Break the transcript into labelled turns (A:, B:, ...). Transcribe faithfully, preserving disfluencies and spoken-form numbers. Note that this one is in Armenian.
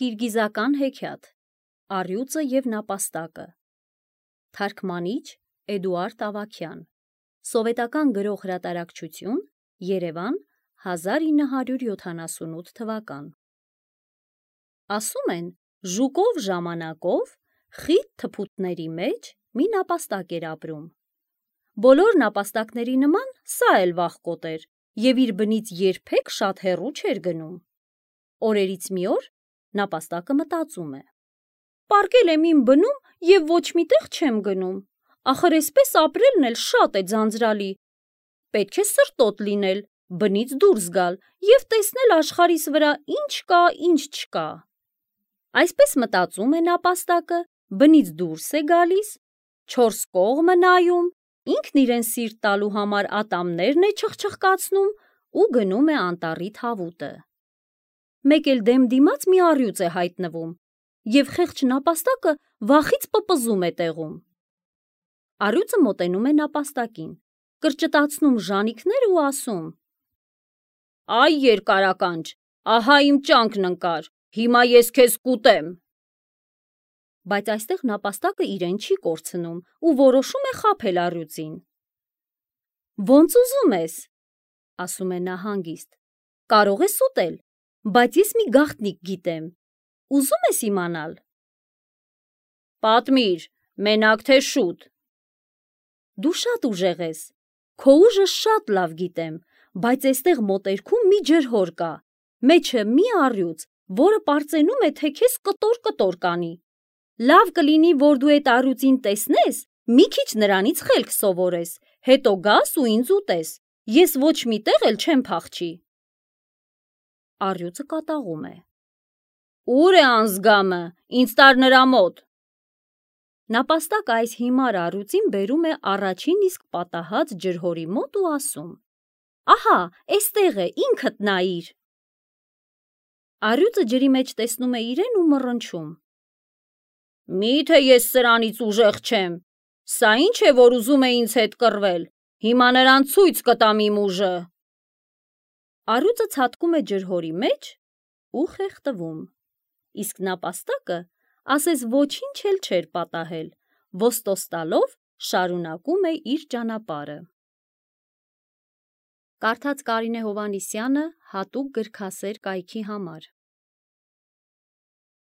A: Կիրգիզական հեքիաթ, Առյուծը և նապաստակը, թարգմանիչ Էդուարդ Ավագյան, սովետական գրող հրատարակչություն, Երևան, հազար ինը հարյուր յոթանասունութ թվական։ Ասում են, ժուկով ժամանակով խիտ թփուտների մեջ մի նապաստակ էր ապրում։ Բոլոր նապաստակների նման սա էլ վախկոտ էր և իր բնից երբեք շատ հեռու չէր գնում։ Օրերից մի օր նապաստակը մտածում է. «Պառկել եմ իմ բնում և ոչ մի տեղ չեմ գնում, ախր էսպես ապրելն էլ շատ է ձանձրալի, պետք է սրտոտ լինել, բնից դուրս գալ և տեսնել աշխարհիս վրա ինչ կա, ինչ չկա»։ Այսպես մտածում է նապաստակը, բնից դուրս է գալիս, չորս կողմը նայում, ինքն իրեն սիրտ տալու համար ատամներն է չխչխկացնում ու գնում է անտառի թավուտը։ Մեկ էլ դեմ դիմաց մի առյուծ է հայտնվում և խեղճ նապաստակը վախից պպզում է տեղում։ Առյուծը մոտենում է նապաստակին, կրճտացնում ժանիքները ու ասում. «Այ երկարականջ, ահա իմ ճանկն ընկար, հիմա ես քեզ կուտեմ»։ Բայց այստեղ նապաստակը իրեն չի կորցնում ու որոշում է խաբել առյուծին։ «Ոնց ուզում ես», ասում է նա հանգիստ, «կարող ես ուտել, բայց ես մի գաղտնիք գիտեմ, ուզում ես իմանալ»։ «Պատմիր, մենակ թե շուտ»։ «Դու շատ ուժեղ ես, քո ուժը շատ լավ գիտեմ, բայց էստեղ մոտերքում մի ջրհոր կա, մեջը մի առյուծ, որը պարծենում է, թե քեզ կտոր-կտոր կանի։ Լավ կլինի, որ դու էդ առյուծին տեսնես, մի քիչ նրանից խելք սովորես, հետո գաս ու ինձ ուտես, ես ոչ մի տեղ էլ չեմ փախչի»։ Առյուծը կատաղում է. «Ո՞ւր է անձգամը, ինձ տար նրա մոտ»։ Նապաստակը այս հիմար առյուծին բերում է առաջին իսկ պատահած ջրհորի մոտ ու ասում. «Ահա, էստեղ է, ինքդ նայիր»։ Առյուծը ջրի մեջ տեսնում է իրեն ու մռնչում. «Մի՞թե ես սրանից ուժեղ չեմ, սա ի՞նչ է, որ ուզում է ինձ հետ կռվել, հիմա նրան ցույց կտամ իմ ուժը»։ Առյուծը ցատկում է ջրհորի մեջ ու խեղդվում, իսկ նապաստակը ասես ոչինչ էլ չէր պատահել, ոստոս տալով շարունակում է իր ճանապարհը։ Կարդաց Կարինե Հովհաննիսյանը հատուկ գրքասեր կայքի համար։